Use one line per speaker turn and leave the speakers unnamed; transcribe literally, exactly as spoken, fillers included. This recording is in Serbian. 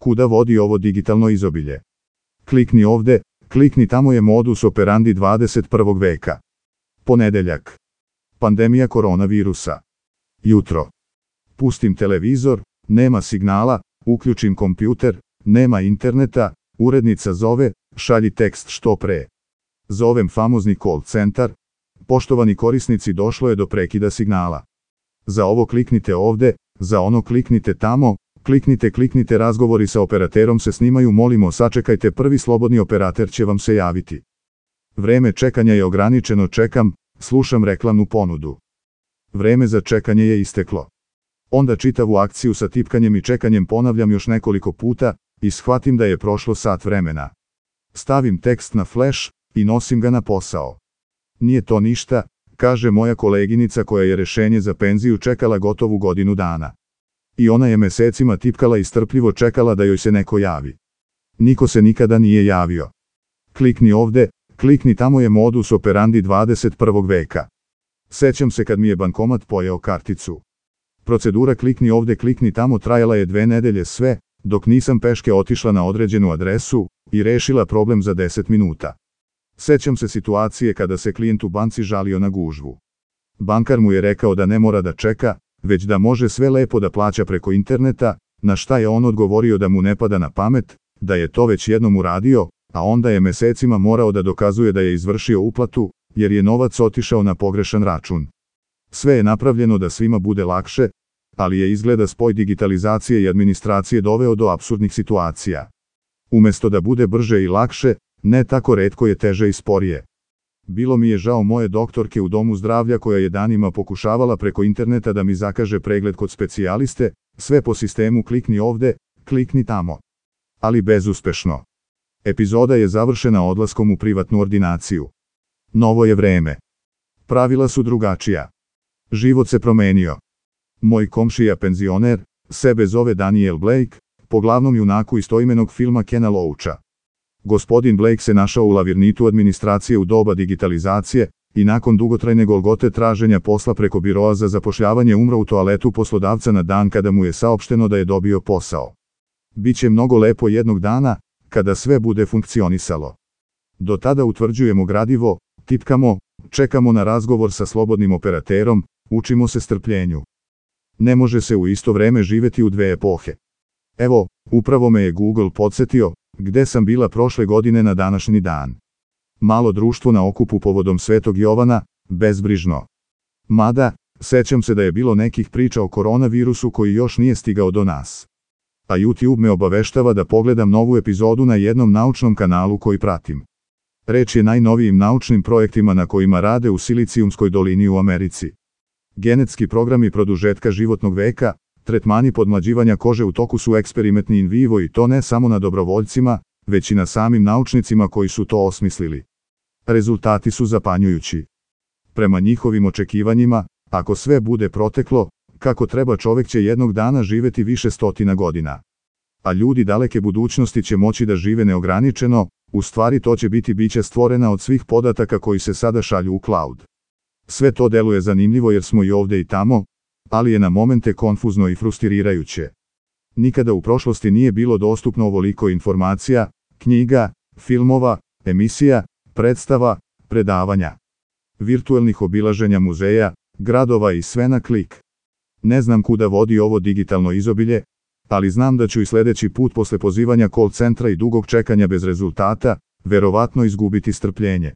kuda vodi ovo digitalno izobilje. Klikni ovde, klikni tamo je modus operandi dvadeset prvog veka. Ponedeljak. Pandemija koronavirusa. Jutro. Pustim televizor, nema signala, uključim kompjuter, nema interneta, urednica zove, šalji tekst što pre. Zovem famozni call centar, poštovani korisnici, došlo je do prekida signala. Za ovo kliknite ovde, za ono kliknite tamo, kliknite kliknite razgovori sa operaterom se snimaju, molimo sačekajte, prvi slobodni operater će vam se javiti. Vreme čekanja je ograničeno, čekam, slušam reklamnu ponudu. Vreme za čekanje je isteklo. Onda čitavu akciju sa tipkanjem i čekanjem ponavljam još nekoliko puta i shvatim da je prošlo sat vremena. Stavim tekst na flash i nosim ga na posao. Nije to ništa, kaže moja koleginica koja je rešenje za penziju čekala gotovu godinu dana. I ona je mesecima tipkala i strpljivo čekala da joj se neko javi. Niko se nikada nije javio. Klikni ovde, klikni tamo je modus operandi dvadeset prvog veka. Sećam se kad mi je bankomat pojeo karticu. Procedura klikni ovde klikni tamo trajala je dve nedelje, sve, dok nisam peške otišla na određenu adresu i rešila problem za deset minuta. Sećam se situacije kada se klijent u banci žalio na gužvu. Bankar mu je rekao da ne mora da čeka, već da može sve lepo da plaća preko interneta, na šta je on odgovorio da mu ne pada na pamet, da je to već jednom uradio, a onda je mesecima morao da dokazuje da je izvršio uplatu, jer je novac otišao na pogrešan račun. Sve je napravljeno da svima bude lakše, ali je izgleda spoj digitalizacije i administracije doveo do apsurdnih situacija. Umesto da bude brže i lakše, ne tako retko je teže i sporije. Bilo mi je žao moje doktorke u domu zdravlja koja je danima pokušavala preko interneta da mi zakaže pregled kod specijaliste, sve po sistemu klikni ovde, klikni tamo. Ali bezuspešno. Epizoda je završena odlaskom u privatnu ordinaciju. Novo je vreme. Pravila su drugačija. Život se promenio. Moj komšija penzioner, sebe zove Daniel Blake, po glavnom junaku istoimenog filma Kena Loacha. Gospodin Blake se našao u lavirnitu administracije u doba digitalizacije i nakon dugotrajne golgote traženja posla preko biroa za zapošljavanje umro u toaletu poslodavca na dan kada mu je saopšteno da je dobio posao. Biće mnogo lepo jednog dana, kada sve bude funkcionisalo. Do tada utvrđujemo gradivo, tipkamo, čekamo na razgovor sa slobodnim operaterom, učimo se strpljenju. Ne može se u isto vreme živeti u dve epohe. Evo, upravo me je Google podsjetio, gde sam bila prošle godine na današnji dan. Malo društvo na okupu povodom Svetog Jovana, bezbrižno. Mada, sećam se da je bilo nekih priča o koronavirusu koji još nije stigao do nas. A YouTube me obaveštava da pogledam novu epizodu na jednom naučnom kanalu koji pratim. Reč je najnovijim naučnim projektima na kojima rade u Silicijumskoj dolini u Americi. Genetski programi produžetka životnog veka, tretmani podmlađivanja kože u toku su eksperimentni in vivo i to ne samo na dobrovoljcima, već i na samim naučnicima koji su to osmislili. Rezultati su zapanjujući. Prema njihovim očekivanjima, ako sve bude proteklo, kako treba, čovek će jednog dana živeti više stotina godina. A ljudi daleke budućnosti će moći da žive neograničeno, u stvari to će biti bića stvorena od svih podataka koji se sada šalju u cloud. Sve to deluje zanimljivo jer smo i ovde i tamo, ali je na momente konfuzno i frustrirajuće. Nikada u prošlosti nije bilo dostupno ovoliko informacija, knjiga, filmova, emisija, predstava, predavanja, virtuelnih obilaženja muzeja, gradova i sve na klik. Ne znam kuda vodi ovo digitalno izobilje, ali znam da ću i sledeći put posle pozivanja call centra i dugog čekanja bez rezultata, verovatno izgubiti strpljenje.